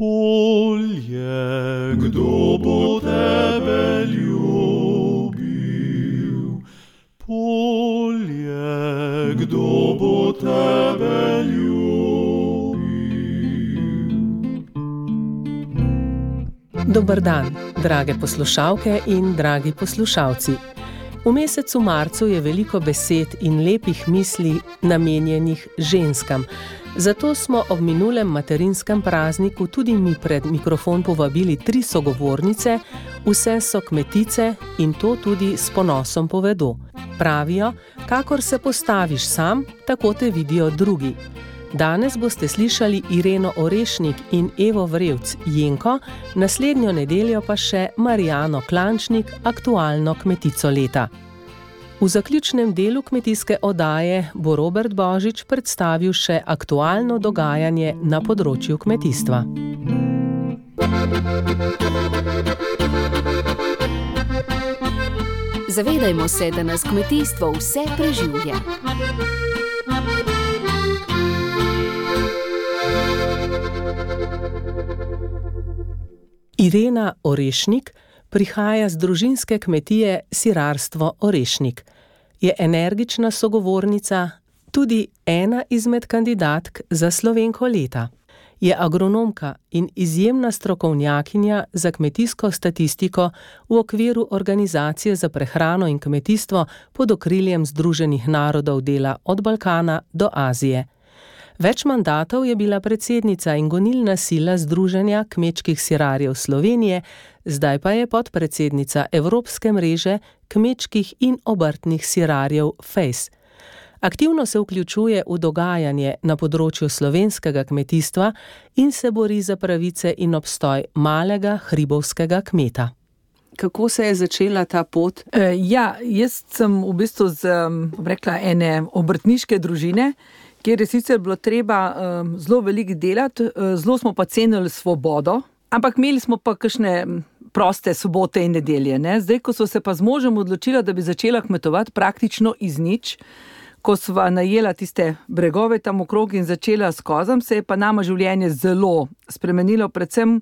Polje, kdo bo tebe ljubil? Polje, kdo bo tebe ljubil? Dober dan, drage poslušalke in dragi poslušalci. V mesecu marcu je veliko besed in lepih misli namenjenih ženskam. Zato smo ob minulem materinskem prazniku tudi mi pred mikrofon povabili 3 sogovornice, vse so kmetice in to tudi s ponosom povedo. Pravijo, kakor se postaviš sam, tako te vidijo drugi. Danes boste slišali Ireno Orešnik in Evo Vrevc Jenko, naslednjo nedeljo pa še Marijano Klančnik, aktualno kmetico leta. V zaključnem delu kmetijske oddaje bo Robert Božič predstavil še aktualno dogajanje na področju kmetijstva. Zavedajmo se, da nas kmetijstvo vse preživlja. Irena Orešnik prihaja z družinske kmetije Sirarstvo Orešnik. Je energična sogovornica, tudi ena izmed kandidatk za Slovenko leta. Je agronomka in izjemna strokovnjakinja za kmetijsko statistiko v okviru Organizacije za prehrano in kmetijstvo pod okriljem Združenih narodov dela od Balkana do Azije. Več mandatov je bila predsednica in gonilna sila Združenja kmečkih sirarjev Slovenije, zdaj pa je podpredsednica Evropske mreže kmečkih in obrtnih sirarjev FACE. Aktivno se vključuje v dogajanje na področju slovenskega kmetijstva in se bori za pravice in obstoj malega hribovskega kmeta. Kako se je začela ta pot? Jaz sem v bistvu ene obrtniške družine, kjer je sicer bilo treba zelo veliko delati, zelo smo pa cenili svobodo, ampak imeli smo pa kakšne proste sobote in nedelje. Ne? Zdaj, ko so se pa z možem odločila, da bi začela kmetovati praktično iz nič, ko sva najela tiste bregove tam okrog in začela s kozam, se je pa nama življenje zelo spremenilo, predvsem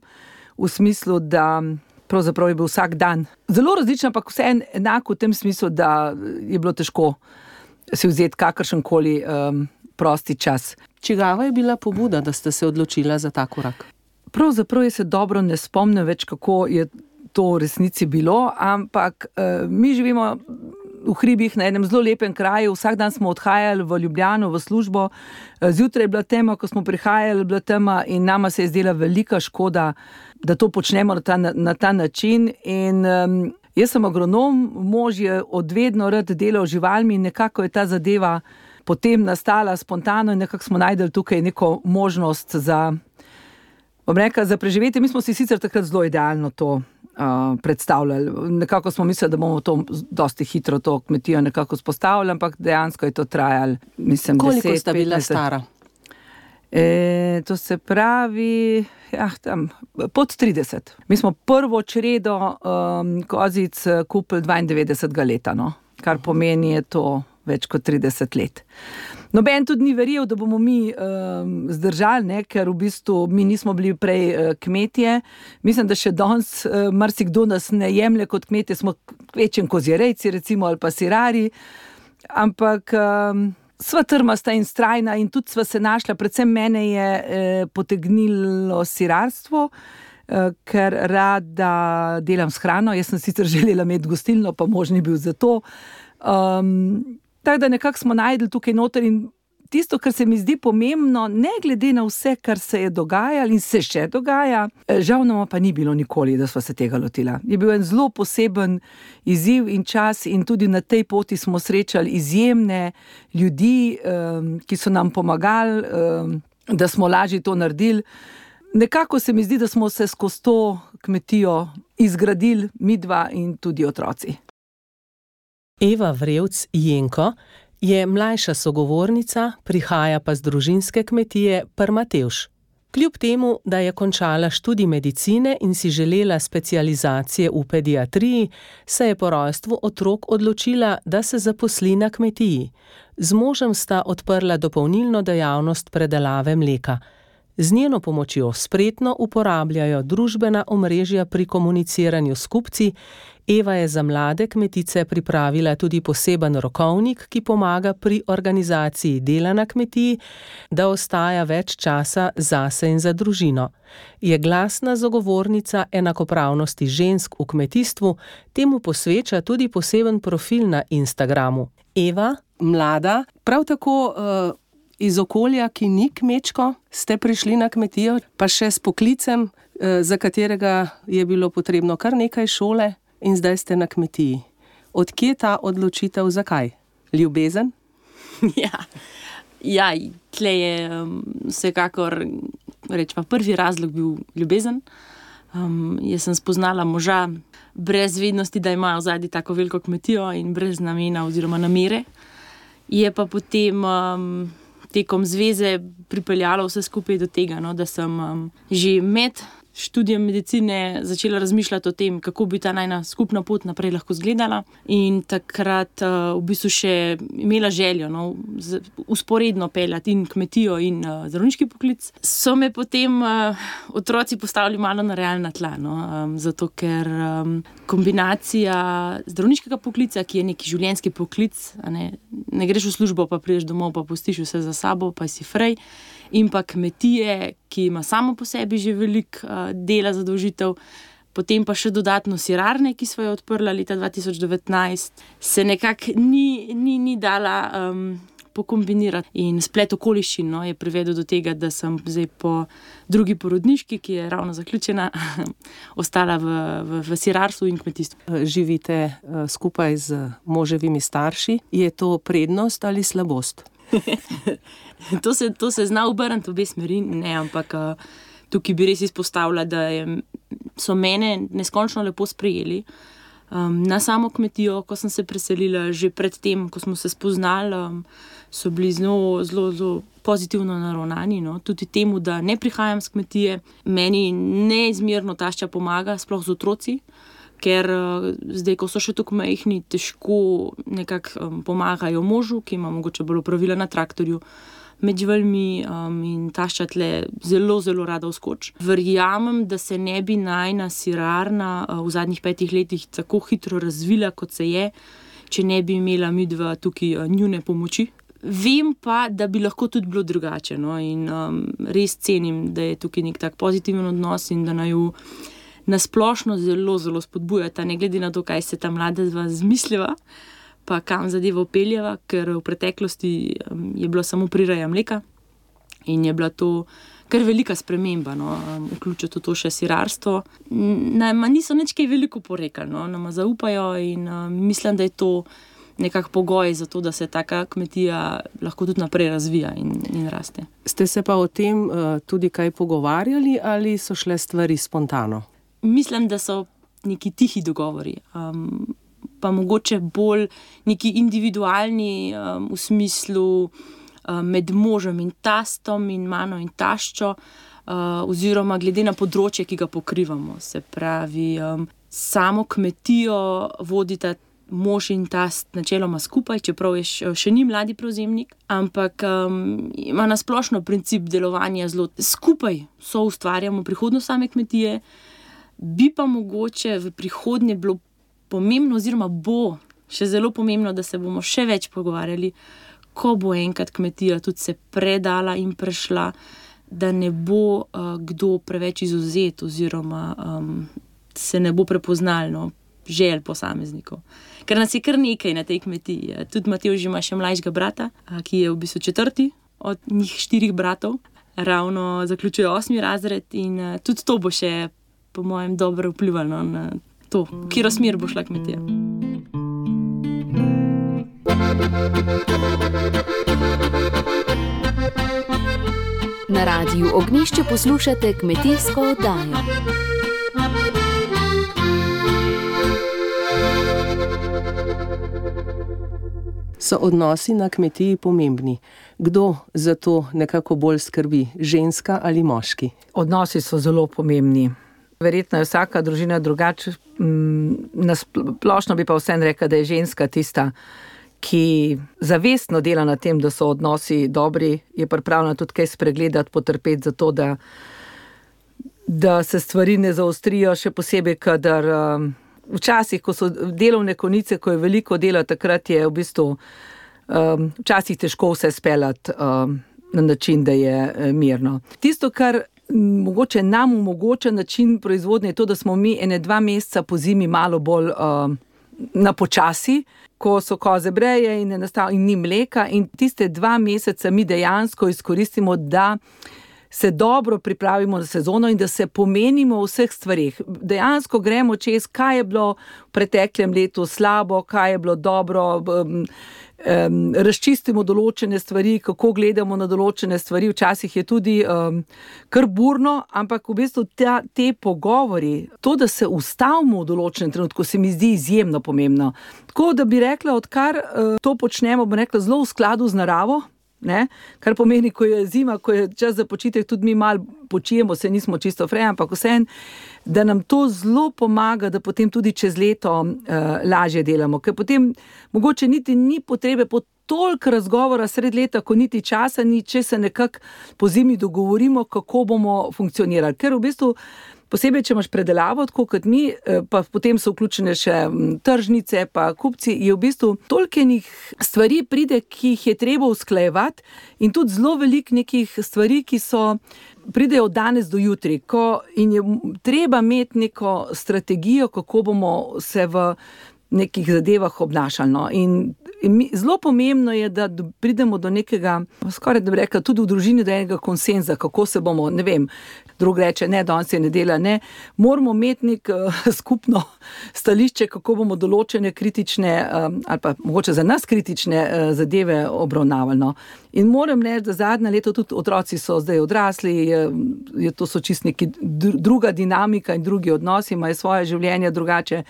v smislu, da pravzaprav je bil vsak dan zelo različen, ampak vse enako v tem smislu, da je bilo težko si vzeti kakršenkoli prosti čas. Čigava je bila pobuda, da ste se odločila za ta korak? Pravzaprav se dobro ne spomnim več, kako je to v resnici bilo, ampak mi živimo v hribih na enem zelo lepem kraju, vsak dan smo odhajali v Ljubljano, v službo, zjutraj je bila tema, ko smo prihajali, bila tema in nama se je zdela velika škoda, da to počnemo na ta način in jaz sem agronom, mož je odvedno rad delal z živalmi in nekako je ta zadeva potem nastala spontano in nekako smo najdeli tukaj neko možnost za preživetje. Mi smo si sicer takrat zelo idealno to predstavljali. Nekako smo mislili, da bomo to dosti hitro to kmetijo nekako spostavili, ampak dejansko je to trajalo, mislim, 10-15 let. Koliko sta bila stara? To se pravi, tam, pod 30. Mi smo prvo čredo kozic kupili 92. leta, no? Kar pomeni je to več kot 30 let. Noben tudi ni verjel, da bomo mi zdržali, ne? Ker v bistvu mi nismo bili prej kmetje. Mislim, da še danes marsikdo nas ne jemlje kot kmetje, smo kvečjem kozjerejci recimo ali pa sirari, ampak sva trmasta in strajna in tudi sva se našla, predvsem mene je potegnilo sirarstvo, ker rada delam s hrano. Jaz sem sicer želela imeti gostilno, pa mož ni bil za to. Tako da nekako smo najdli tukaj noter in tisto, kar se mi zdi pomembno, ne glede na vse, kar se je dogajalo in se še dogaja, žal nama pa ni bilo nikoli, da sva se tega lotila. Je bil en zelo poseben izziv in čas in tudi na tej poti smo srečali izjemne ljudi, ki so nam pomagali, da smo lažje to naredili. Nekako se mi zdi, da smo se skozi to kmetijo izgradili midva in tudi otroci. Eva Vrevc Jenko je mlajša sogovornica, prihaja pa z družinske kmetije Prmatevš. Kljub temu, da je končala študij medicine in si želela specializacije v pediatriji, se je po rojstvu otrok odločila, da se zaposli na kmetiji. Z možem sta odprla dopolnilno dejavnost predelave mleka. Z njeno pomočjo spretno uporabljajo družbena omrežja pri komuniciranju s kupci. Eva je za mlade kmetice pripravila tudi poseben rokovnik, ki pomaga pri organizaciji dela na kmetiji, da ostaja več časa zase in za družino. Je glasna zagovornica enakopravnosti žensk v kmetijstvu, temu posveča tudi poseben profil na Instagramu. Eva, mlada, prav tako iz okolja, ki ni kmečko, ste prišli na kmetijo, pa še s poklicem, za katerega je bilo potrebno kar nekaj šole, in zdaj ste na kmetiji. Od kje ta odločitev, zakaj? Ljubezen? Ja, tle je vsekakor, rečemo, prvi razlog bil ljubezen. Jaz sem spoznala moža brez vednosti, da imajo zadnji tako veliko kmetijo in brez namena oziroma namere. Je pa potem tekom zveze pripeljalo vse skupaj do tega, da sem že med študijem medicine začela razmišljati o tem, kako bi ta najna skupna pot naprej lahko izgledala, in takrat v bistvu še imela željo usporedno peljati in kmetijo in zdravniški poklic. So me potem otroci postavili malo na realna tla, zato ker kombinacija zdravniškega poklica, ki je neki življenjski poklic, ne greš v službo, pa prideš domov, pa pustiš vse za sabo, pa si frej, in pa kmetije, ki ima samo po sebi že veliko dela zadolžitev, potem pa še dodatno sirarne, ki sva jo odprla leta 2019, se nekako ni dala pokombinirati. In splet okoliščin je privedel do tega, da sem zdaj po drugi porodniški, ki je ravno zaključena, ostala v sirarstvu in kmetijstvu. Živite skupaj z moževimi starši. Je to prednost ali slabost? To se zna obrniti v obe smeri, ampak tukaj bi res izpostavila, da so mene neskončno lepo sprejeli. Na samo kmetijo, ko sem se preselila, že pred tem, ko smo se spoznali, so bili zelo pozitivno naravnani, tudi temu, da ne prihajam s kmetije. Meni neizmerno tašča pomaga, sploh z otroci, ker zdaj, ko so še tako majhni, težko nekako pomagajo možu, ki ima mogoče bolj opravila na traktorju, med živalmi, in tašča tle zelo, zelo rada vskoči. Verjamem, da se ne bi najna sirarna v zadnjih 5 letih tako hitro razvila, kot se je, če ne bi imela midva tukaj njune pomoči. Vem pa, da bi lahko tudi bilo drugače, in res cenim, da je tukaj nek tak pozitiven odnos in da naju nasplošno zelo, zelo spodbujata, ne glede na to, kaj se ta mladezva zmisliva, pa kam zadevo peljeva, ker v preteklosti je bila samo prireja mleka in je bila to kar velika sprememba, vključiti v to še sirarstvo. Nama niso nič kaj veliko porekali, nama zaupajo in mislim, da je to nekak pogoj za to, da se taka kmetija lahko tudi naprej razvija in raste. Ste se pa o tem tudi kaj pogovarjali ali so šle stvari spontano? Mislim, da so neki tihi dogovori, pa mogoče bolj neki individualni v smislu med možem in tastom in mano in taščo, oziroma glede na področje, ki ga pokrivamo. Se pravi, samo kmetijo vodita mož in tast načeloma skupaj, čeprav je še ni mladi prevzemnik, ampak ima na splošno princip delovanja zelo skupaj, so ustvarjamo prihodnost same kmetije. Bi pa mogoče v prihodnje bilo pomembno, oziroma bo še zelo pomembno, da se bomo še več pogovarjali, ko bo enkrat kmetija tudi se predala in prešla, da ne bo kdo preveč izvzet oziroma se ne bo prepoznalo želj posameznikov. Ker nas je kar nekaj na tej kmetiji. Tudi Matevž ima še mlajšega brata, ki je v bistvu 4. od njih 4 bratov. Ravno zaključuje 8. razred in tudi to bo še po mojem dobro vplivalo na to, katero smer bo šla kmetija. Na Radiu Ognjišče poslušate kmetijsko oddajo. So odnosi na kmetiji pomembni? Kdo za to nekako bolj skrbi, ženska ali moški? Odnosi so zelo pomembni. Verjetno je vsaka družina drugače. Na splošno bi pa vseeno rekla, da je ženska tista, ki zavestno dela na tem, da so odnosi dobri, je pripravljena tudi kaj spregledati, potrpeti za to, da se stvari ne zaostrijo, še posebej, kadar včasih, ko so delovne konice, ko je veliko dela, takrat je v bistvu včasih težko vse speljati na način, da je mirno. Tisto, kar mogoče nam omogoča način proizvodnje, je to, da smo mi 1-2 meseca po zimi malo bolj na počasi, ko so koze breje in ni mleka, in tiste 2 meseca mi dejansko izkoristimo, da se dobro pripravimo na sezono in da se pomenimo v vseh stvarih. Dejansko gremo čez, kaj je bilo v preteklem letu slabo, kaj je bilo dobro, razčistimo določene stvari, kako gledamo na določene stvari. Včasih je tudi kar burno, ampak v bistvu te pogovori, to, da se ustavimo v določenem trenutku, se mi zdi izjemno pomembno. Tako da bi rekla, odkar to počnemo, bom rekla, zelo v skladu z naravo, ne? Kar pomeni, ko je zima, ko je čas za počitek, tudi mi malo počijemo, se nismo čisto freja, ampak vseeno, da nam to zelo pomaga, da potem tudi čez leto lažje delamo. Ker potem mogoče niti ni potrebe po toliko razgovora sred leta, ko niti časa ni, če se nekako po zimi dogovorimo, kako bomo funkcionirali. Ker v bistvu posebej, če imaš predelavo, tako kot mi, pa potem so vključene še tržnice, pa kupci, je v bistvu toliko stvari pride, ki jih je treba usklajevati, in tudi zelo veliko nekih stvari, ki pridejo od danes do jutri, in je treba imeti neko strategijo, kako bomo se v nekih zadevah obnašali. No. In zelo pomembno je, da pridemo do nekega, skoraj da bi rekla, tudi v družini do enega konsenza, kako se bomo, ne vem, drug reče, ne, danes je nedelja, ne, moramo imeti neko skupno stališče, kako bomo določene kritične, ali pa mogoče za nas kritične zadeve obravnavali. No. In moram reči, da zadnje leto tudi otroci so zdaj odrasli, to so čist neki druga dinamika in drugi odnosi, imajo svoje življenje drugače.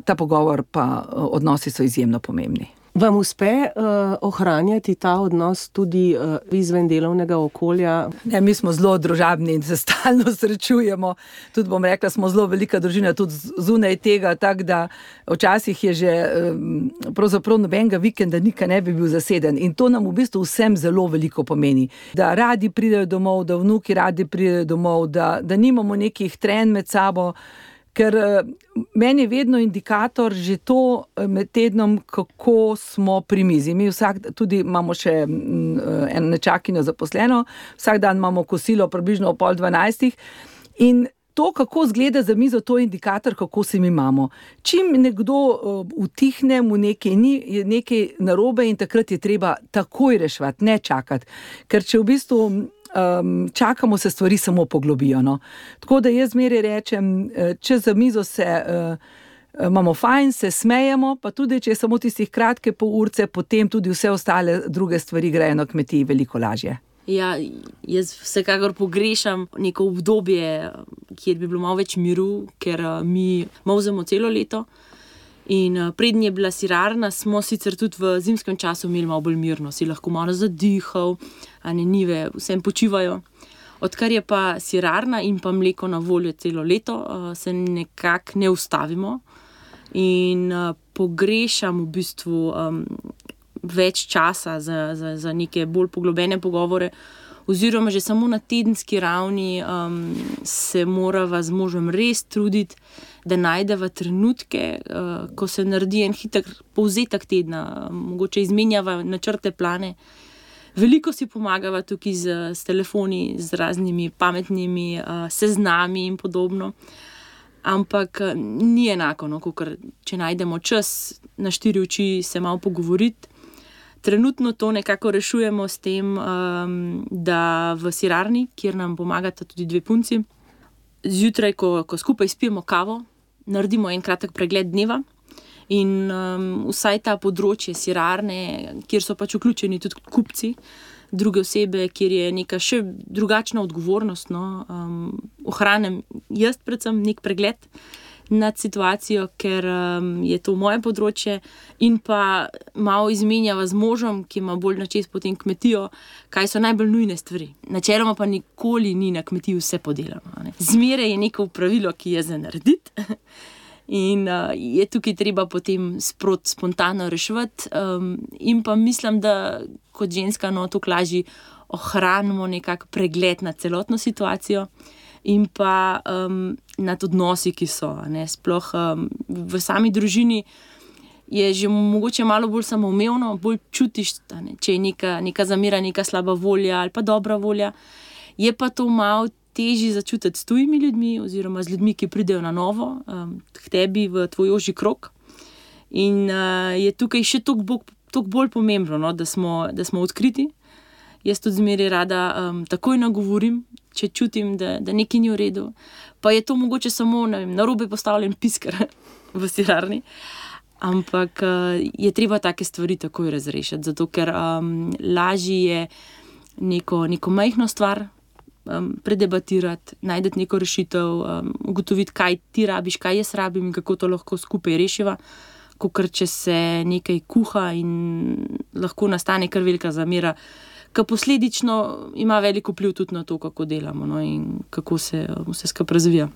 Ta pogovor pa odnosi so izjemno pomembni. Vam uspe ohranjati ta odnos tudi izven delovnega okolja? Ne, mi smo zelo družabni in se stalno srečujemo. Tudi bom rekla, smo zelo velika družina, tudi zunaj tega, tako da včasih je že pravzaprav nobenega vikenda nikaj ne bi bil zaseden. In to nam v bistvu vsem zelo veliko pomeni. Da radi pridejo domov, da vnuki radi pridejo domov, da nimamo nekih trenj med sabo. Ker meni je vedno indikator že to med tednom, kako smo pri mizi. Mi tudi imamo še eno nečakinjo zaposleno, vsak dan imamo kosilo približno ob 11:30 in to, kako izgleda za mizo, to je indikator, kako se mi imamo. Čim nekdo utihne, mu je nekaj narobe in takrat je treba takoj reševati, ne čakati. Ker če v bistvu čakamo, se stvari samo poglobijo. No. Tako da jaz zmeraj rečem, če za mizo imamo fajn, se smejemo, pa tudi, če je samo tistih kratke pol urce, potem tudi vse ostale druge stvari grejo na kmetiji veliko lažje. Ja, jaz vsekakor pogrešam neko obdobje, kjer bi bilo malo več miru, ker mi molzemo celo leto. In prednje je bila sirarna, smo sicer tudi v zimskem času imeli malo bolj mirno, si lahko malo zadihal, njive vsem počivajo. Odkar je pa sirarna in pa mleko na voljo celo leto, se nekako ne ustavimo in pogrešam v bistvu več časa za neke bolj poglobljene pogovore, oziroma že samo na tedenski ravni se morava z možem res truditi, da najdeva trenutke, ko se naredi en hiter povzetek tedna, mogoče izmenjava načrte, plane. Veliko si pomagava tukaj s telefoni, z raznimi pametnimi seznami in podobno. Ampak ni enako, no, kakor če najdemo čas na 4 oči se malo pogovoriti. Trenutno to nekako rešujemo s tem, da v sirarni, kjer nam pomagata tudi 2 punci, zjutraj, ko skupaj spijemo kavo, naredimo en kratek pregled dneva in vsaj ta področje sirarne, kjer so pač vključeni tudi kupci, druge osebe, kjer je neka še drugačna odgovornost, no, ohranim jaz predvsem nek pregled nad situacijo, ker je to moje področje in pa malo izmenjava z možem, ki ima bolj načes potem kmetijo, kaj so najbolj nujne stvari. Načeloma pa nikoli ni na kmetiji vse podelano. Ne. Zmeraj je neko pravilo, ki je za narediti In je tukaj treba potem spontano reševati. In pa mislim, da kot ženska tako lažje ohranimo nekak pregled nad celotno situacijo in pa nad odnosi, ki so. Sploh v sami družini je že mogoče malo bolj samoumevno, bolj čutiš, če je neka zamera, neka slaba volja ali pa dobra volja. Je pa to malo težje začutiti s tujimi ljudmi oziroma z ljudmi, ki pridejo na novo k tebi v tvoj ožji krog. In je tukaj še toliko bolj pomembno, da smo odkriti. Jaz tudi zmeraj rada takoj nagovorim, če čutim, da nekaj ni v redu. Pa je to mogoče samo narobe postavljen pisker v sirarni. Ampak je treba take stvari takoj razrešiti, zato ker lažje je neko majhno stvar predebatirati, najti neko rešitev, ugotoviti, kaj ti rabiš, kaj jaz rabim in kako to lahko skupaj rešiva, kakor če se nekaj kuha in lahko nastane kar velika zamera, ki posledično ima veliko vpliv tudi na to, kako delamo in kako se vse skupaj razvija.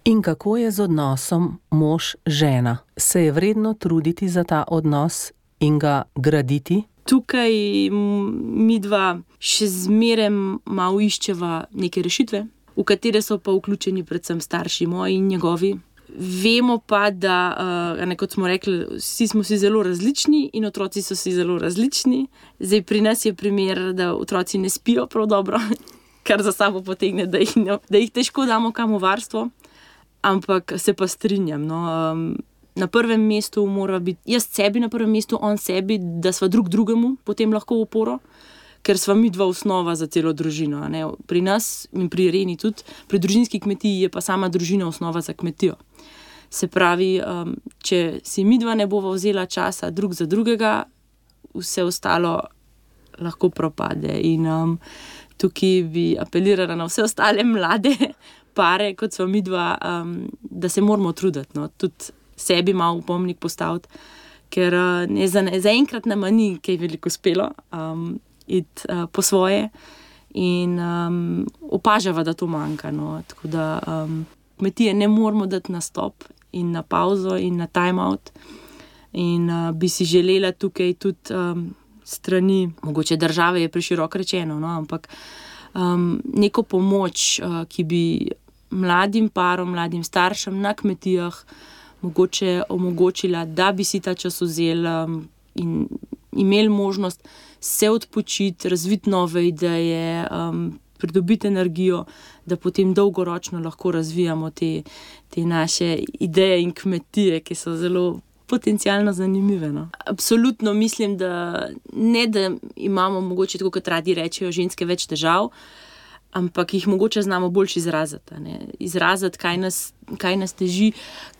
In kako je z odnosom mož-žena? Se je vredno truditi za ta odnos in ga graditi? Tukaj midva še zmeraj malo iščeva neke rešitve, v katere so pa vključeni predvsem starši moji in njegovi. Vemo pa, da, kot smo rekli, vsi smo si zelo različni in otroci so si zelo različni. Zdaj pri nas je primer, da otroci ne spijo prav dobro, kar za sabo potegne, da jih težko damo kam v varstvo. Ampak se pa strinjam. Na prvem mestu mora biti jaz sebi na prvem mestu, on sebi, da sva drug drugemu potem lahko oporo, ker sva midva osnova za celo družino. Pri nas in pri Ireni tudi, pri družinski kmetiji je pa sama družina osnova za kmetijo. Se pravi, če si midva ne bova vzela časa drug za drugega, vse ostalo lahko propade. In tukaj bi apelirala na vse ostale mlade pare, kot sva midva, da se moramo truditi, tudi sebi malo v pomnik postaviti, ker zaenkrat nama ni kaj veliko uspelo iti po svoje in opažava, da to manjka. Tako da kmetije ne moramo dati na stop in na pauzo in na time out. In bi si želela tukaj tudi strani, mogoče države je preširoko rečeno, ampak neko pomoč, ki bi mladim parom, mladim staršem na kmetijah mogoče omogočila, da bi si ta čas vzeli in imeli možnost se odpočiti, razviti nove ideje, pridobiti energijo, da potem dolgoročno lahko razvijamo te naše ideje in kmetije, ki so zelo potencialno zanimive. Absolutno mislim, da ne, da imamo mogoče, tako kot radi rečejo, ženske več težav, ampak jih mogoče znamo boljš izraziti. Izraziti, kaj nas teži,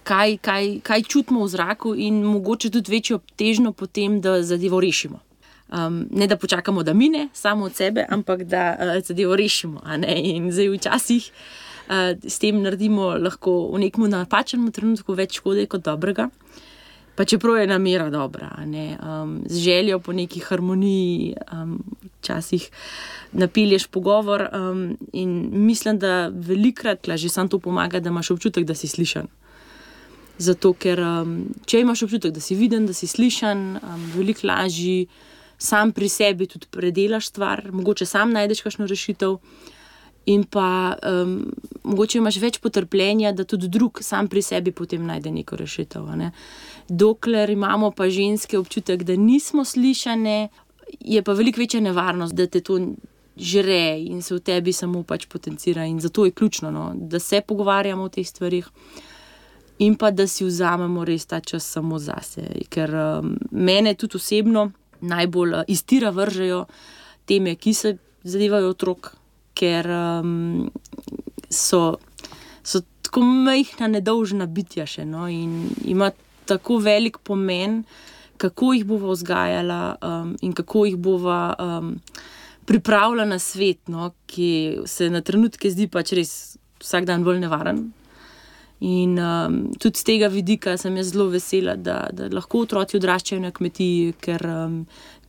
kaj čutimo v zraku in mogoče tudi večjo težnjo potem, da zadevo rešimo. Ne da počakamo, da mine samo od sebe, ampak da zadevo rešimo. In zdaj včasih s tem naredimo lahko v nekem napačnem trenutku več škode kot dobrega. Pa čeprav je namera dobra, z željo po neki harmoniji, včasih napelješ pogovor in mislim, da velikokrat že samo to pomaga, da imaš občutek, da si slišan. Zato, ker če imaš občutek, da si viden, da si slišan, veliko lažje sam pri sebi tudi predelaš stvar, mogoče sam najdeš kakšno rešitev in pa mogoče imaš več potrpljenja, da tudi drug sam pri sebi potem najde neko rešitev. Dokler imamo pa ženske občutek, da nismo slišane, je pa veliko večja nevarnost, da te to žre in se v tebi samo pač potencira. In zato je ključno, da se pogovarjamo o teh stvarih in pa da si vzamemo res ta čas samo zase. Ker mene tudi osebno najbolj iz tira vržejo teme, ki se zadevajo otrok, ker so tako majhna, nedolžna bitja še in ima tako velik pomen, kako jih bova vzgajala in kako jih bova pripravila na svet, ki se na trenutke zdi pač res vsak dan bolj nevaren. In tudi z tega vidika sem jaz zelo vesela, da lahko otroci odraščajo na kmetiji, ker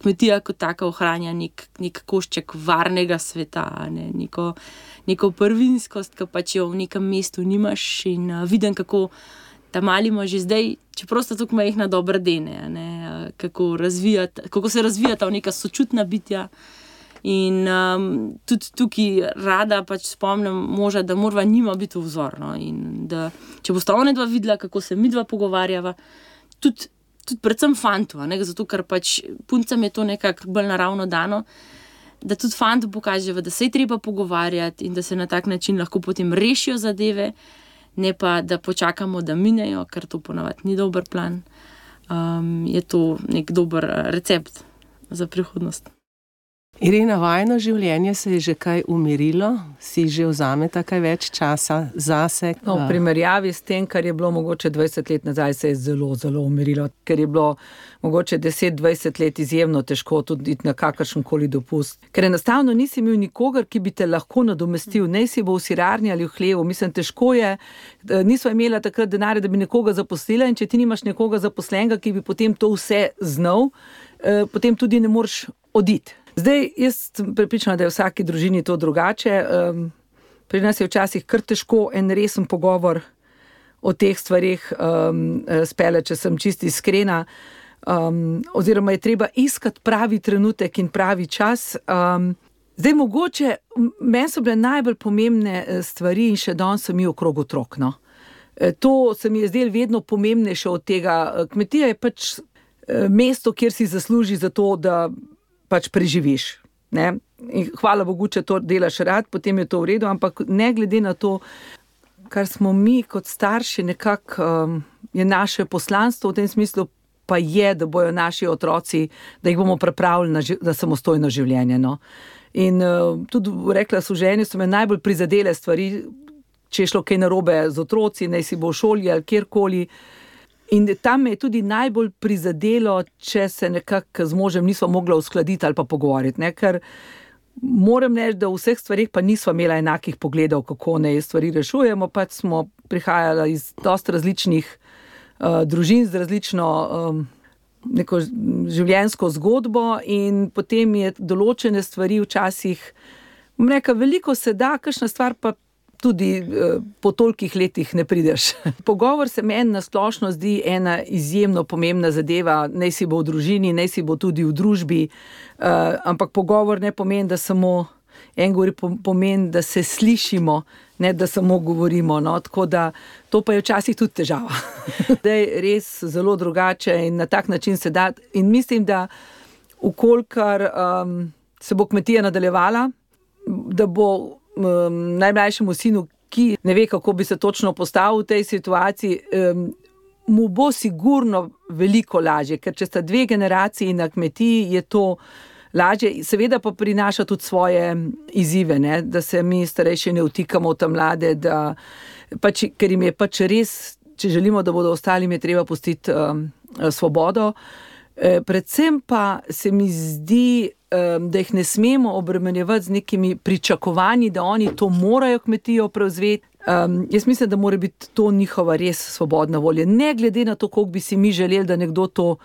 kmetija kot taka ohranja nek košček varnega sveta, neko prvinskost, ki pač jo v nekem mestu nimaš in vidim, kako ta mali ima že zdaj, čeprav sta tukaj majhna dobra dene, kako se razvijata v neka sočutna bitja. In tudi tukaj rada pač spomnim moža, da morava njima biti vzor. No? In da če bosta ona dva videla, kako se midva pogovarjava, tudi predvsem fantu, zato ker pač puncam je to nekako bolj naravno dano, da tudi fantu pokaževa, da se je treba pogovarjati in da se na tak način lahko potem rešijo zadeve, ne pa da počakamo, da minejo, ker to ponavadi ni dober plan. Je to nek dober recept za prihodnost. Irena, vajino življenje se je že kaj umirilo? Si že vzameta kaj več časa zase? No, v primerjavi s tem, kar je bilo mogoče 20 let nazaj, se je zelo, zelo umirilo. Ker je bilo mogoče 10-20 let izjemno težko tudi iti na kakršenkoli dopust. Ker enostavno nisi imel nikogar, ki bi te lahko nadomestil. Ne si bo v sirarni ali v hlevu. Mislim, težko je. Nisva imela takrat denarja, da bi nekoga zaposlila, in če ti nimaš nekoga zaposlenega, ki bi potem to vse znal, potem tudi ne moreš oditi. Zdaj, jaz sem prepričana, da je v vsaki družini to drugače. Pri nas je včasih kar težko en resen pogovor o teh stvarih spele, če sem čisto iskrena. Oziroma je treba iskati pravi trenutek in pravi čas. Zdaj, mogoče, meni so bile najbolj pomembne stvari in še danes so mi okrog otrok. No. To se mi je zdelo vedno pomembnejše od tega. Kmetija je pač mesto, kjer si zasluži za to, da pač preživiš. Ne? In hvala Bogu, če to delaš rad, potem je to v redu, ampak ne glede na to, kar smo mi kot starši nekako, je naše poslanstvo v tem smislu, pa je, da bojo naši otroci, da jih bomo pripravili na samostojno življenje. No? In tudi rekla so ženi, so me najbolj prizadele stvari, če je šlo kaj narobe z otroci, naj si bo v šoli ali kjerkoli. In tam me je tudi najbolj prizadelo, če se nekako z možem nisva mogla uskladiti ali pa pogovoriti. Ne? Ker moram reči, da v vseh stvarih pa nisva imela enakih pogledov, kako ne stvari rešujemo, pač smo prihajala iz dosti različnih družin, z različno neko življenjsko zgodbo, in potem je določene stvari včasih, bom rekla, veliko se da, kakšna stvar pa tudi po tolikih letih ne prideš. Pogovor se meni na splošno zdi ena izjemno pomembna zadeva, naj si bo v družini, naj si bo tudi v družbi, ampak pogovor ne pomeni, da samo en govori, pomeni, da se slišimo, ne da samo govorimo. No? Tako da to pa je včasih tudi težava. Da je res zelo drugače in na tak način se da. In mislim, da vkolikor se bo kmetija nadaljevala, da bo najmlajšemu sinu, ki ne ve, kako bi se točno postavil v tej situaciji, mu bo sigurno veliko lažje, ker če sta dve generaciji na kmetiji, je to lažje. Seveda pa prinaša tudi svoje izzive, ne? Da se mi starejši ne vtikamo v ta mlade, pač, ker jim je pač res, če želimo, da bodo ostali, jim je treba pustiti svobodo. Predvsem pa se mi zdi, da jih ne smemo obremenjevati z nekimi pričakovanji, da oni to morajo kmetijo prevzeti. Jaz mislim, da mora biti to njihova res svobodna volja. Ne glede na to, koliko bi si mi želeli, da nekdo to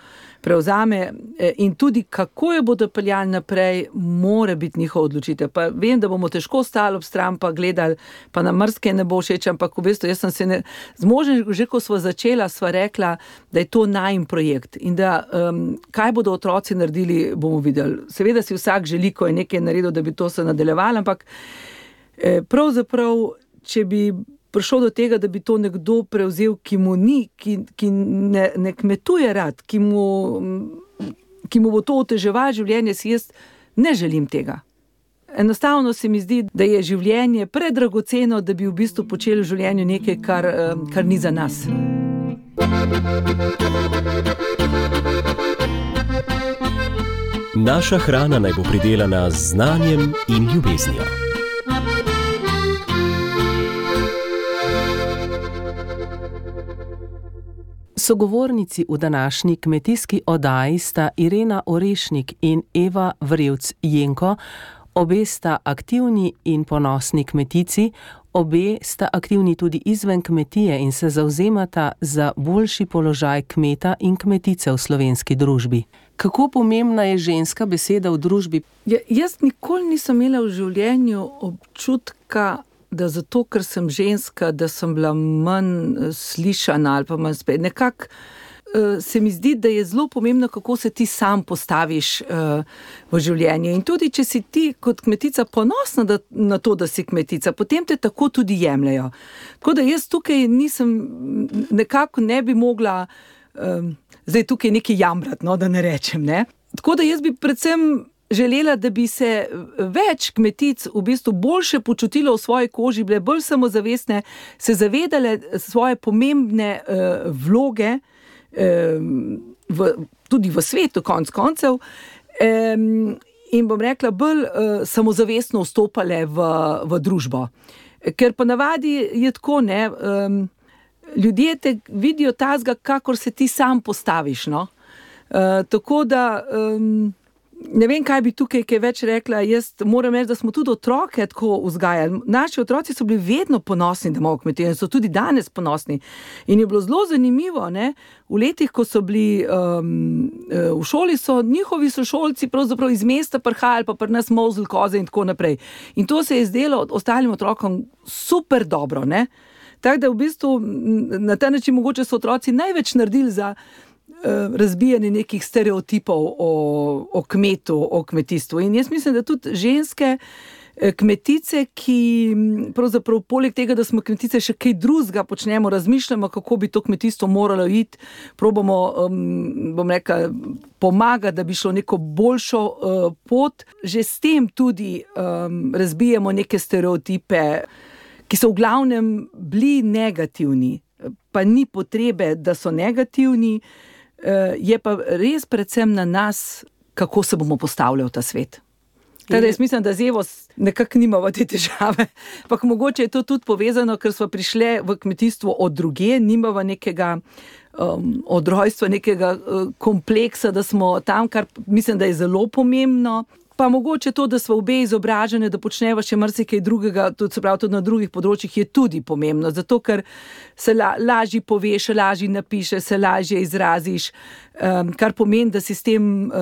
prevzame, in tudi kako jo bodo peljali naprej, mora biti njihova odločitev. Pa vem, da bomo težko stali ob stran pa gledali, pa nam marsikaj ne bo všeč, ampak v bistvu jaz sem se z možem, že ko sva začela, sva rekla, da je to najin projekt in da kaj bodo otroci naredili, bomo videli. Seveda si vsak želi, ko je nekaj naredil, da bi to se nadaljevalo, ampak pravzaprav, če bi prišlo do tega, da bi to nekdo prevzel, ki mu ni, ki ne kmetuje rad, ki mu bo to oteževalo življenje, si jaz ne želim tega. Enostavno se mi zdi, da je življenje predragoceno, da bi v bistvu počeli v življenju nekaj, kar ni za nas. Naša hrana naj bo pridelana z znanjem in ljubeznijo. Sogovornici v današnji kmetijski oddaji sta Irena Orešnik in Eva Vrevc-Jenko. Obe sta aktivni in ponosni kmetici, obe sta aktivni tudi izven kmetije in se zavzemata za boljši položaj kmeta in kmetice v slovenski družbi. Kako pomembna je ženska beseda v družbi? Jaz nikoli nisem imela v življenju občutka da zato, ker sem ženska, da sem bila manj slišana ali pa manj spet. Nekako se mi zdi, da je zelo pomembno, kako se ti sam postaviš v življenju. In tudi, če si ti kot kmetica ponosna na to, da si kmetica, potem te tako tudi jemljajo. Tako da jaz tukaj nekako ne bi mogla zdaj tukaj nekaj jamrati, no, da ne rečem, ne. Tako da jaz bi predvsem želela, da bi se več kmetic v bistvu boljše počutilo v svoji koži, bile bolj samozavestne, se zavedale svoje pomembne vloge, tudi v svetu, konec koncev, in bom rekla, bolj samozavestno vstopale v družbo. Ker ponavadi je tako, ne, ljudje te vidijo tazga, kakor se ti sam postaviš, no. Tako da ne vem, kaj bi tukaj kaj več rekla. Jaz moram reči, da smo tudi otroke tako vzgajali. Naši otroci so bili vedno ponosni, da imajo kmetijo, in so tudi danes ponosni. In je bilo zelo zanimivo, ne, v letih, ko so bili v šoli, so njihovi sošolci pravzaprav iz mesta prihajali, pa pri nas molzli koze in tako naprej. In to se je zdelo ostalim otrokom super dobro, ne. Tako da v bistvu na ta način mogoče so otroci največ naredili za razbijanje nekih stereotipov o kmetu, o kmetijstvu. In jaz mislim, da tudi ženske kmetice, ki pravzaprav poleg tega, da smo kmetice, še kaj drugega počnemo, razmišljamo, kako bi to kmetijstvo moralo iti, probamo, bom rekla, pomagati, da bi šlo neko boljšo pot. Že s tem tudi razbijamo neke stereotipe, ki so v glavnem bili negativni, pa ni potrebe, da so negativni, je pa res predvsem na nas, kako se bomo postavljali v ta svet. Teda jaz mislim, da z Evo nekako nimamo te težave, pa mogoče je to tudi povezano, ker smo prišle v kmetijstvo od drugje, nimamo nekega od rojstva, nekega kompleksa, da smo tam, kar mislim, da je zelo pomembno. Pa mogoče to, da smo obe izobražene, da počneva še marsikaj drugega, tudi na drugih področjih, je tudi pomembno, zato ker se lažje poveš, lažje napišeš, se lažje izraziš, kar pomeni, da si s tem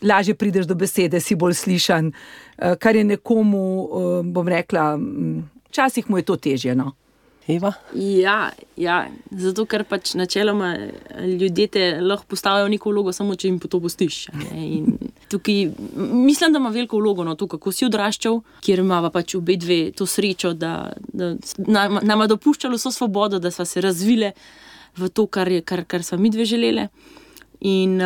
lažje prideš do besede, si bolj slišan, kar je nekomu, bom rekla, včasih mu je to težje, no. Eva? Ja, zato ker pač načeloma ljudje te lahko postavijo neko vlogo, samo če jim to pustiš. In tukaj mislim, da ima veliko vlogo, no, to, kako si odraščal, kjer imava pač obe dve to srečo, da nama dopuščalo vso svobodo, da sva se razvile v to, kar sva mi dve želele. In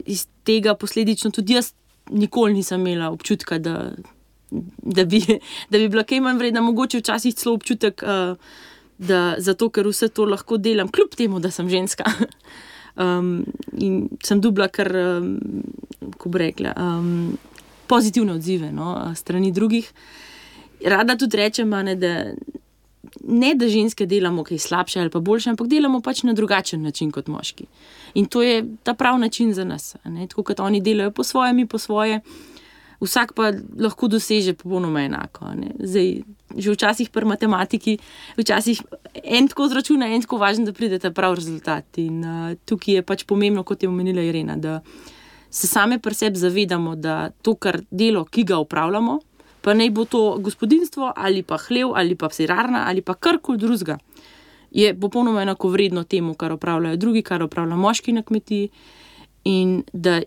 iz tega posledično tudi jaz nikoli nisem imela občutka, da bi bila kaj manj vredna, mogoče včasih celo občutek, da zato, ker vse to lahko delam, kljub temu, da sem ženska. In sem dobila kar, ko bi rekla, pozitivne odzive, no, strani drugih. Rada tudi rečem, da ženske delamo kaj slabše ali pa boljše, ampak delamo pač na drugačen način kot moški. In to je ta prav način za nas. Tako kot oni delajo po svoje, mi po svoje, vsak pa lahko doseže popolnoma enako. Zdaj, že včasih pri matematiki, včasih en tako zračuna, en tako važen, da pride ta prav rezultat. In tukaj je pač pomembno, kot je omenila Irena, da se same pri sebi zavedamo, da to, kar delo, ki ga opravljamo, pa naj bo to gospodinjstvo ali pa hlev ali pa sirarna ali pa karkoli drugega, je popolnoma enako vredno temu, kar opravljajo drugi, kar opravlja moški na kmetiji, in da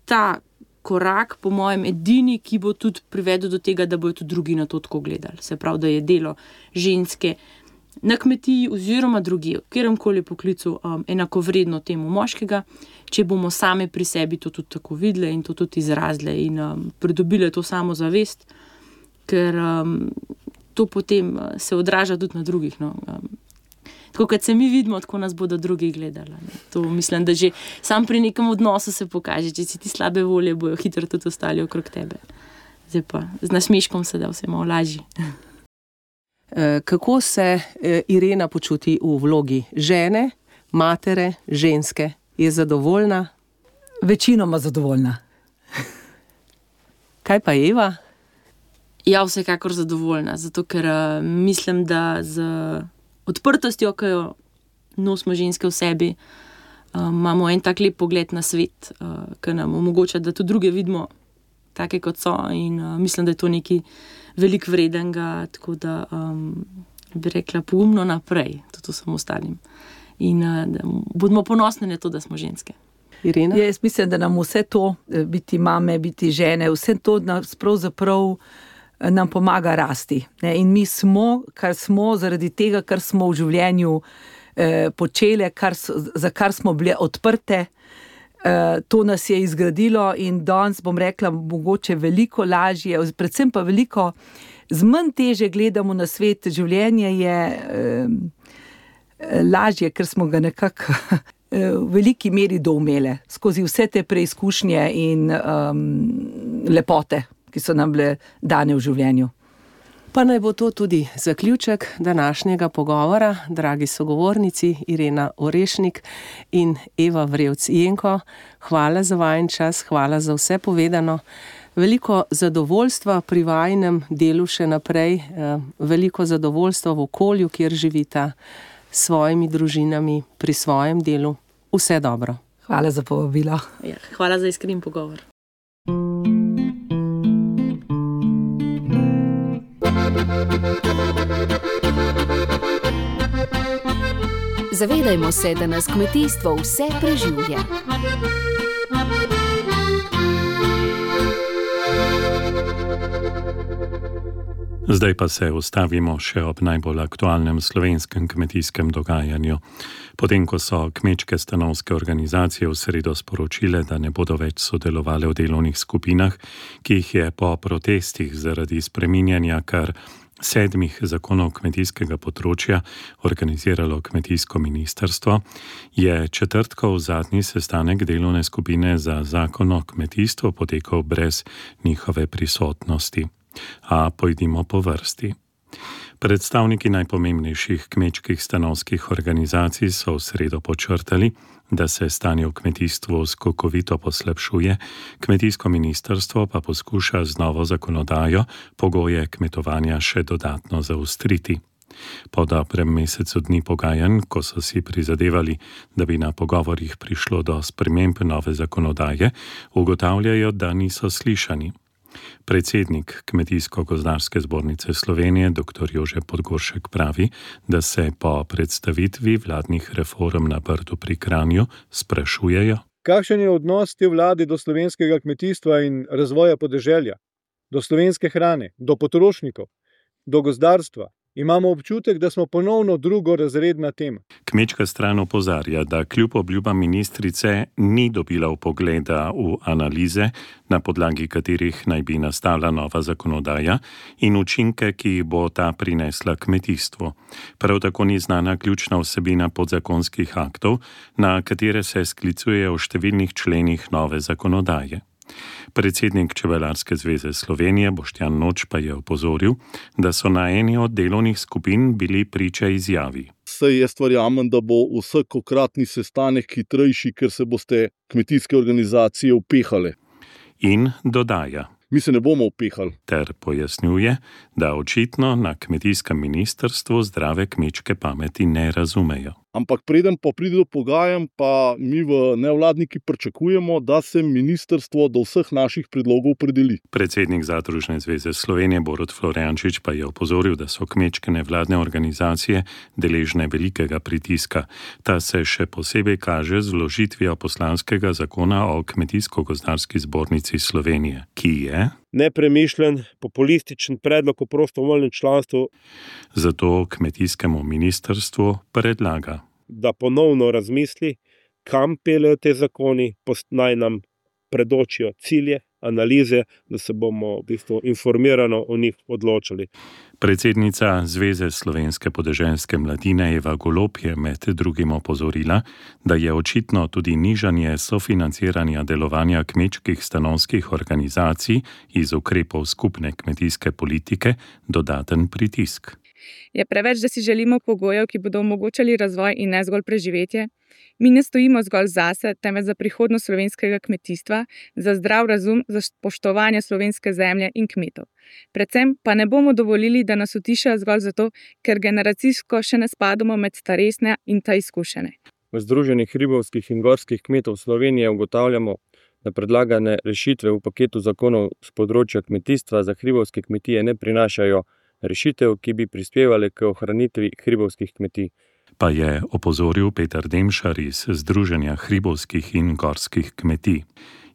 ta korak, po mojem, edini, ki bo tudi privedel do tega, da bojo tudi drugi na to tako gledali. Se pravi, da je delo ženske na kmetiji oziroma drugje, v kateremkoli poklicu, enakovredno temu moškega, če bomo same pri sebi to tudi tako videle in to tudi izrazile in pridobile to samozavest, ker to potem se odraža tudi na drugih, no. Tako kot se mi vidimo, tako nas bodo drugi gledali. To mislim, da že sam pri nekem odnosu se pokaže, če si ti slabe volje, bojo hitro tudi ostali okrog tebe. Zdaj pa z nasmeškom se da vse malo lažje. Kako se Irena počuti v vlogi žene, matere, ženske? Je zadovoljna? Večinoma zadovoljna. Kaj pa Eva? Ja, vsekakor zadovoljna, zato ker mislim, da z odprtostjo, ki jo nosimo ženske v sebi, imamo en tak lep pogled na svet, ki nam omogoča, da tudi druge vidimo take, kot so, in mislim, da je to nekaj veliko vredenega, tako da bi rekla pogumno naprej, tudi vsem ostalim. In bodimo ponosni na to, da smo ženske. Irena? Jaz mislim, da nam vse to, biti mame, biti žene, vse to nas pravzaprav nam pomaga rasti. Ne? In mi smo, kar smo, zaradi tega, kar smo v življenju počele, za kar smo bile odprte, to nas je izgradilo in danes, bom rekla, mogoče veliko lažje, predvsem pa veliko z manj teže gledamo na svet. Življenje je lažje, ker smo ga nekako v veliki meri doumele skozi vse te preizkušnje in lepote, ki so nam bile dane v življenju. Pa naj bo to tudi zaključek današnjega pogovora, dragi sogovornici Irena Orešnik in Eva Vrevc-Jenko. Hvala za vajen čas, hvala za vse povedano. Veliko zadovoljstva pri vajinem delu še naprej, veliko zadovoljstva v okolju, kjer živita, s svojimi družinami, pri svojem delu. Vse dobro. Hvala za povabilo. Ja, hvala za iskren pogovor. Zavedajmo se, da nas kmetijstvo vse preživlja. Zdaj pa se ustavimo še ob najbolj aktualnem slovenskem kmetijskem dogajanju. Potem, ko so kmečke stanovske organizacije v sredo sporočile, da ne bodo več sodelovale v delovnih skupinah, ki jih je po protestih zaradi spreminjanja kar 7 zakonov kmetijskega področja organiziralo kmetijsko ministrstvo, je četrtkov zadnji sestanek delovne skupine za zakon o kmetijstvu potekal brez njihove prisotnosti. A pojdimo po vrsti. Predstavniki najpomembnejših kmečkih stanovskih organizacij so v sredo podčrtali, da se stanje v kmetijstvu skokovito poslabšuje, kmetijsko ministrstvo pa poskuša z novo zakonodajo pogoje kmetovanja še dodatno zaostriti. Po dobrem mesecu dni pogajanj, ko so si prizadevali, da bi na pogovorih prišlo do sprememb nove zakonodaje, ugotavljajo, da niso slišani. Predsednik Kmetijsko-gozdarske zbornice Slovenije, dr. Jože Podgoršek, pravi, da se po predstavitvi vladnih reform na Brdu pri Kranju sprašujejo: kakšen je odnos te vlade do slovenskega kmetijstva in razvoja podeželja, do slovenske hrane, do potrošnikov, do gozdarstva? Imamo občutek, da smo ponovno drugorazredna tema. Kmečka stran opozarja, da kljub obljubam ministrice ni dobila vpogleda v analize, na podlagi katerih naj bi nastala nova zakonodaja in učinke, ki jih bo ta prinesla kmetijstvu. Prav tako ni znana ključna vsebina podzakonskih aktov, na katere se sklicujejo v številnih členih nove zakonodaje. Predsednik Čebelarske zveze Slovenije Boštjan Noč pa je opozoril, da so na eni od delovnih skupin bili priče izjavi: Saj jaz verjamem, da bo vsakokratni sestanek hitrejši, ker se boste kmetijske organizacije upehale. In dodaja: mi se ne bomo upehali. Ter pojasnjuje, da očitno na kmetijskem ministrstvu zdrave kmečke pameti ne razumejo. Ampak preden pa pride do pogajanj, pa mi v nevladniki pričakujemo, da se ministrstvo do vseh naših predlogov opredeli. Predsednik Zadružne zveze Slovenije Borut Florjančič pa je opozoril, da so kmečke nevladne organizacije deležne velikega pritiska. Ta se še posebej kaže z vložitvijo poslanskega zakona o Kmetijsko-gozdarski zbornici Slovenije, ki je nepremišljen, populističen predlog o prostovoljnem članstvu. Zato kmetijskemu ministrstvu predlaga, da ponovno razmisli, kam peljejo te zakoni, naj nam predočijo cilje, analize, da se bomo v bistvu informirano o njih odločili. Predsednica Zveze slovenske podeželske mladine Eva Golob je med drugim opozorila, da je očitno tudi nižanje sofinanciranja delovanja kmečkih stanovskih organizacij iz ukrepov skupne kmetijske politike dodaten pritisk. Je preveč, da si želimo pogojev, ki bodo omogočali razvoj in ne zgolj preživetje? Mi ne stojimo zgolj zase, temveč za prihodnost slovenskega kmetijstva, za zdrav razum, za spoštovanje slovenske zemlje in kmetov. Predvsem pa ne bomo dovolili, da nas utišajo zgolj zato, ker generacijsko še ne spadamo med starejše in ta izkušene. V Združenju hribovskih in gorskih kmetov Slovenije ugotavljamo, da predlagane rešitve v paketu zakonov z področja kmetijstva za hribovske kmetije ne prinašajo rešitev, ki bi prispevale k ohranitvi hribovskih kmetij. Pa je opozoril Peter Demšar iz Združenja hribovskih in gorskih kmetij.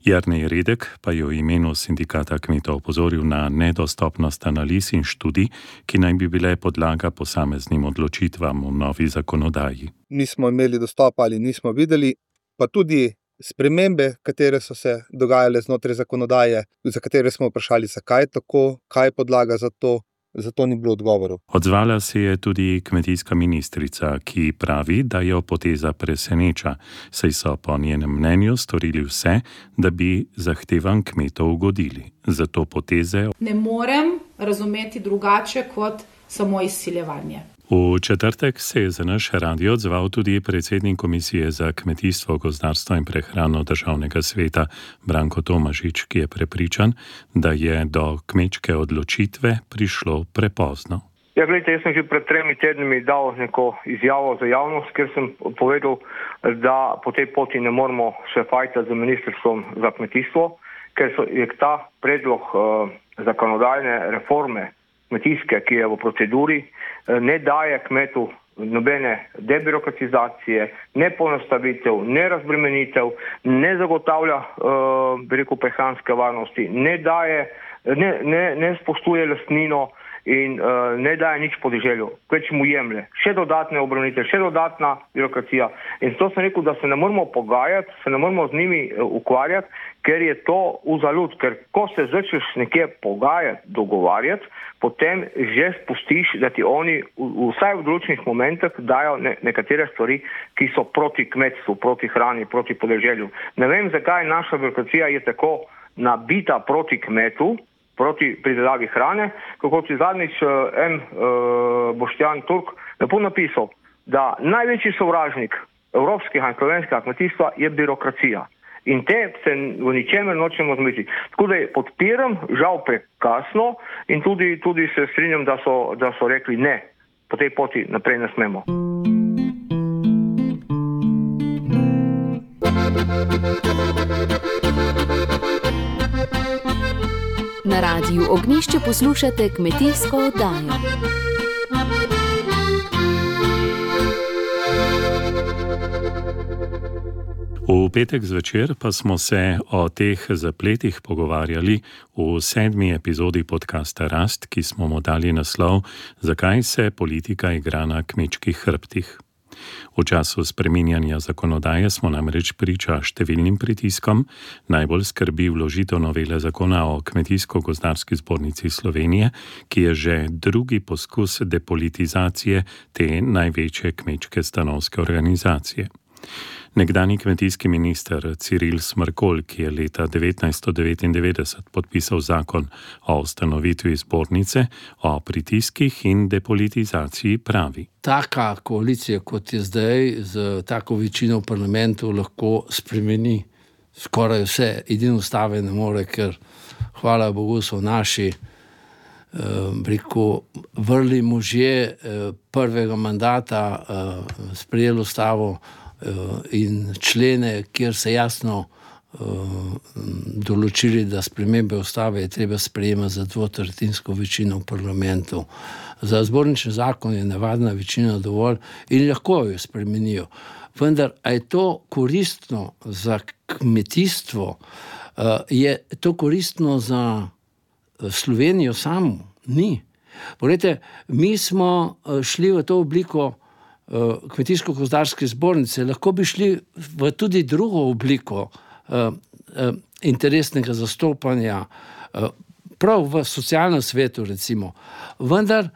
Jernej Redek pa je v imenu sindikata kmetov opozoril na nedostopnost analiz in študij, ki naj bi bile podlaga posameznim odločitvam v novi zakonodaji. Nismo imeli dostopa ali nismo videli, pa tudi spremembe, katere so se dogajale znotraj zakonodaje, za katere smo vprašali, zakaj tako, kaj je podlaga za to. Zato ni bilo odgovorov. Odzvala se je tudi kmetijska ministrica, ki pravi, da jo poteza preseneča, saj so po njenem mnenju storili vse, da bi zahtevam kmetov ugodili. Zato poteze ne morem razumeti drugače kot samo izsiljevanje. V četrtek se je za naš radio odzval tudi predsednik Komisije za kmetijstvo, gozdarstvo in prehrano Državnega sveta Branko Tomažič, ki je prepričan, da je do kmečke odločitve prišlo prepozno. Ja, gledajte, jaz sem že pred 3 tednimi dal neko izjavo za javnost, ker sem povedal, da po tej poti ne moramo še fajtati z ministrstvom za kmetijstvo, ker je ta predlog zakonodajne reforme kmetijske, ki je v proceduri, ne daje kmetu nobene debirokratizacije, ne poenostavitev, ne razbremenitev, ne zagotavlja prehranske varnosti, ne spoštuje lastnino in ne daje nič podeželju, več mu jemlje. Še dodatne obremenitve, še dodatna birokracija. In zato sem rekel, da se ne moramo pogajati, se ne moramo z njimi ukvarjati, ker je to uzalud, ker ko se začneš nekje pogajati, dogovarjati, potem že spustiš, da ti oni vsaj v določenih momentih dajo nekatere stvari, ki so proti kmetstvu, proti hrani, proti podeželju. Ne vem, zakaj naša birokracija je tako nabita proti kmetu, proti pridelavi hrane, kako si zadnjič Boštjan Turk lepo napisal, da največji sovražnik evropskega in slovenskega kmetijstva je birokracija. In te se v ničemer nočemo zmeti. Tako da podpiram, žal prekasno, in tudi se strinjam, da so rekli ne, po tej poti naprej ne smemo. Na radiju Ognjišče poslušate kmetijsko oddajo. V petek zvečer pa smo se o teh zapletih pogovarjali v 7. epizodi podcasta Rast, ki smo mu dali naslov Zakaj se politika igra na kmečkih hrbtih. V času spreminjanja zakonodaje smo namreč priča številnim pritiskom, najbolj skrbi vložitev novele zakona o Kmetijsko-gozdarski zbornici Slovenije, ki je že drugi poskus depolitizacije te največje kmečke stanovske organizacije. Nekdanji kmetijski minister Ciril Smrkolj, ki je leta 1999 podpisal zakon o ustanovitvi zbornice, o pritiskih in depolitizaciji pravi. Taka koalicija, kot je zdaj, z tako večino v parlamentu lahko spremeni skoraj vse. Edino ustave ne more, ker hvala Bogu so naši vrli možje prvega mandata sprejeli ustavo in člene, kjer se jasno določili, da spremembe ustave je treba sprejemati za 2/3 večino v parlamentu. Za zbornični zakon je navadna večina dovolj in lahko jo spremenijo. Vendar, a je to koristno za kmetijstvo? Je to koristno za Slovenijo samo? Ni. Poglejte, mi smo šli v to obliko Kmetijsko-gozdarske zbornice, lahko bi šli v tudi drugo obliko interesnega zastopanja, prav v socialnem svetu recimo. Vendar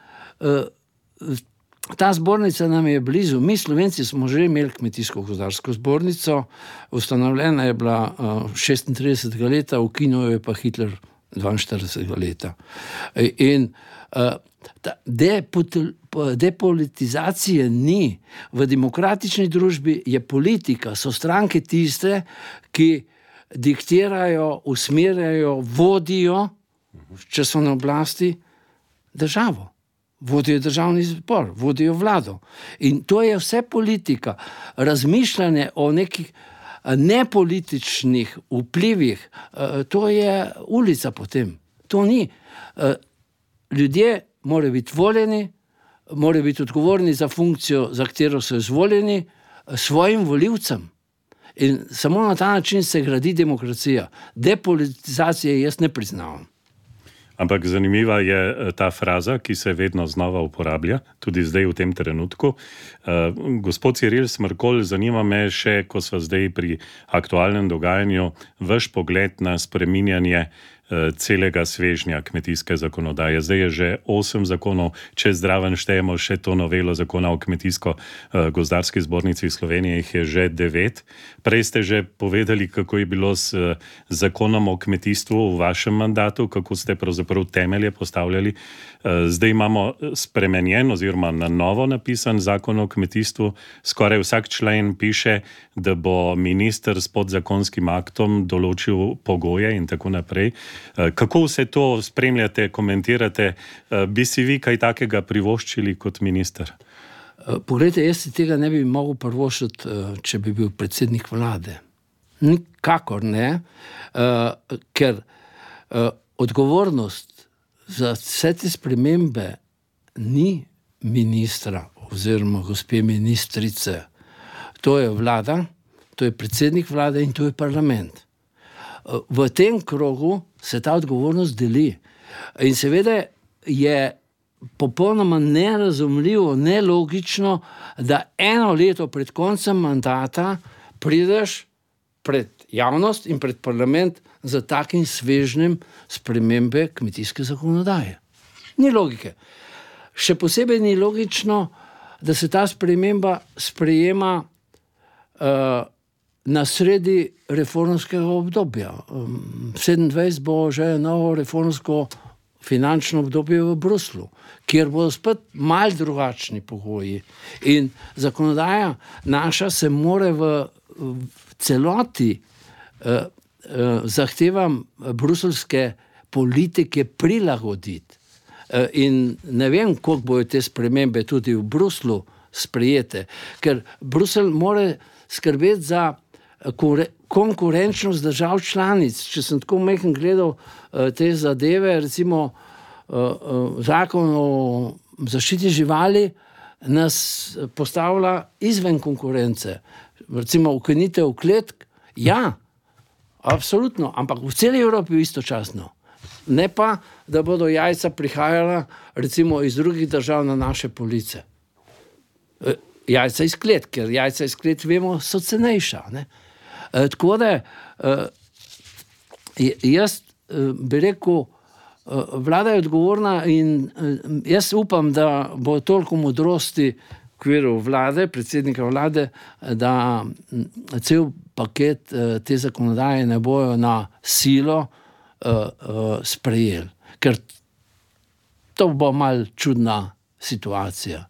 ta zbornica nam je blizu. Mi Slovenci smo že imeli Kmetijsko-gozdarsko zbornico, ustanovljena je bila 36. leta, ukinil je pa Hitler 42. leta. In depolitizacije ni. V demokratični družbi je politika, so stranke tiste, ki diktirajo, usmerjajo, vodijo, če so na oblasti, državo. Vodijo državni zbor, vodijo vlado. In to je vse politika. Razmišljanje o nekih nepolitičnih vplivih, to je ulica potem. To ni. Ljudje morajo biti voljeni, morajo biti odgovorni za funkcijo, za katero so izvoljeni, svojim volivcem. In samo na ta način se gradi demokracija. Depolitizacije jaz ne priznavam. Ampak zanimiva je ta fraza, ki se vedno znova uporablja, tudi zdaj v tem trenutku. Gospod Ciril Smrkolj, zanima me še, ko sva zdaj pri aktualnem dogajanju, vaš pogled na spreminjanje celega svežnja kmetijske zakonodaje. Zdaj je že 8 zakonov, če zraven štejemo še to novelo zakona o kmetijsko-gozdarski zbornici Slovenije, jih je že 9. Prej ste že povedali, kako je bilo s zakonom o kmetijstvu v vašem mandatu, kako ste pravzaprav temelje postavljali. Zdaj imamo spremenjen oziroma na novo napisan zakon o kmetijstvu. Skoraj vsak člen piše, da bo minister s podzakonskim aktom določil pogoje in tako naprej. Kako vse to spremljate, komentirate? Bi si vi kaj takega privoščili kot minister? Poglejte, jaz si tega ne bi mogel privoščiti, če bi bil predsednik vlade. Nikakor ne, ker odgovornost za vse te spremembe ni ministra oziroma gospe ministrice. To je vlada, to je predsednik vlade in to je parlament. V tem krogu se ta odgovornost deli. In seveda je popolnoma nerazumljivo, nelogično, da eno leto pred koncem mandata prideš pred javnost in pred parlament za takim svežnjem spremembe kmetijske zakonodaje. Ni logike. Še posebej ni logično, da se ta sprememba sprejema na sredi reformskega obdobja. 27 bo že novo reformsko finančno obdobje v Bruslu, kjer bodo spet malo drugačni pogoji. In zakonodaja naša se mora v celoti zahtevam bruselske politike prilagoditi. In ne vem, koliko bojo te spremembe tudi v Bruslu sprejete, ker Brusel mora skrbeti za konkurenčnost držav članic. Če sem tako majhen gledal te zadeve, recimo zakon o zaščiti živali nas postavlja izven konkurence. Recimo ukinitev kletk, ja, absolutno, ampak v celi Evropi istočasno. Ne pa, da bodo jajca prihajala recimo iz drugih držav na naše police. Jajca iz kletk, ker jajca iz kletk, vemo, so cenejša. Ne? Tako da jaz bi rekel, vlada je odgovorna in jaz upam, da bo toliko modrosti v okviru vlade, predsednika vlade, da cel paket te zakonodaje ne bojo na silo sprejeli. Ker to bo malo čudna situacija.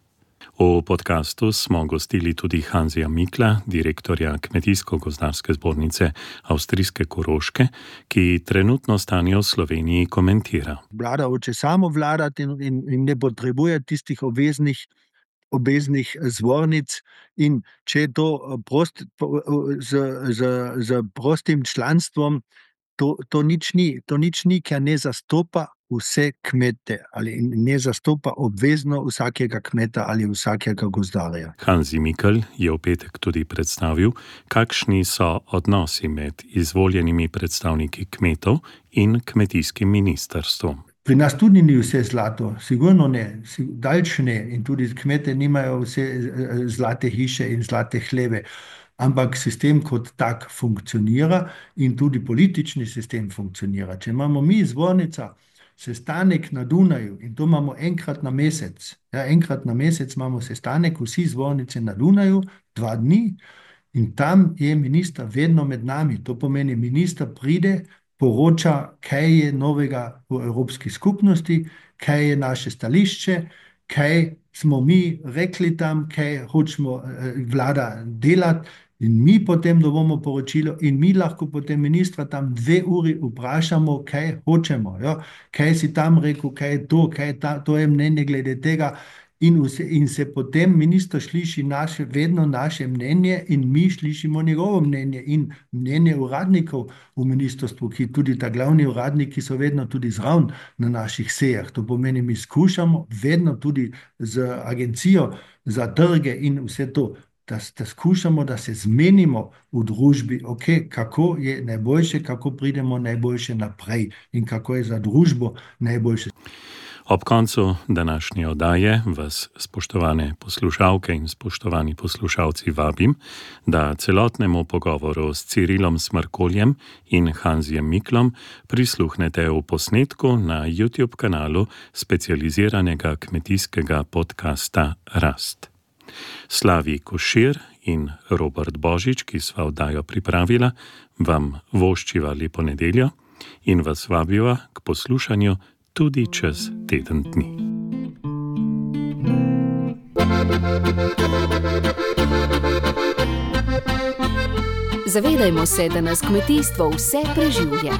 V podkastu smo gostili tudi Hanzija Mikla, direktorja Kmetijsko-gozdarske zbornice Avstrijske Koroške, ki trenutno stanje v Sloveniji komentira. Vlada hoče samo vladati in ne potrebuje tistih obveznih zbornic, in če je to z prostim članstvom, to nič ni, ker ne zastopa vse kmete ali ne zastopa obvezno vsakega kmeta ali vsakega gozdarja. Hanzi Mikl je v petek tudi predstavil, kakšni so odnosi med izvoljenimi predstavniki kmetov in kmetijskim ministrstvom. Pri nas tudi ni vse zlato, sigurno ne, daljš ne, in tudi kmete nimajo vse zlate hiše in zlate hleve. Ampak sistem kot tak funkcionira in tudi politični sistem funkcionira. Če imamo mi zbornica sestanek na Dunaju in to imamo enkrat na mesec. Ja, enkrat na mesec imamo sestanek, vsi zbornice na Dunaju, 2 dni, in tam je minister vedno med nami. To pomeni, minister pride, poroča, kaj je novega v Evropski skupnosti, kaj je naše stališče, kaj smo mi rekli tam, kaj hočemo vlada delati. In mi potem dobimo poročilo in mi lahko potem ministra tam 2 uri vprašamo, kaj hočemo. Jo? Kaj si tam rekel, kaj je to je mnenje glede tega. in se potem minister sliši vedno naše mnenje in mi slišimo njegovo mnenje in mnenje uradnikov v ministrstvu, ki tudi ta glavni uradniki so vedno tudi zraven na naših sejah. To pomeni, mi skušamo vedno tudi z agencijo za trge in vse to, da skušamo, da se zmenimo v družbi, kako je najboljše, kako pridemo najboljše naprej in kako je za družbo najboljše. Ob koncu današnje oddaje vas, spoštovane poslušalke in spoštovani poslušalci, vabim, da celotnemu pogovoru s Cirilom Smrkoljem in Hanzijem Miklom prisluhnete v posnetku na YouTube kanalu specializiranega kmetijskega podcasta Rast. Slavi Košir in Robert Božič, ki sva oddajo pripravila, vam voščiva lepo nedeljo in vas vabiva k poslušanju tudi čez teden dni. Zavedajmo se, da nas kmetijstvo vse preživlja.